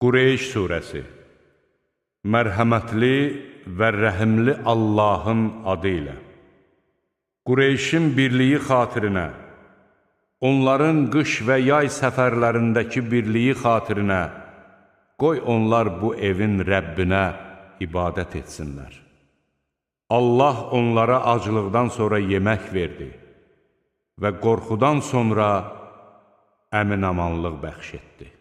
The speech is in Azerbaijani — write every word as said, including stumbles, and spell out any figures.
Qureyş surəsi. Mərhəmətli və rəhimli Allahın adı ilə. Qureyşin birliyi xatirinə, onların qış və yay səfərlərindəki birliyi xatirinə, qoy onlar bu evin Rəbbinə ibadət etsinlər. Allah onlara aclıqdan sonra yemək verdi və qorxudan sonra əmin-amanlıq bəxş etdi.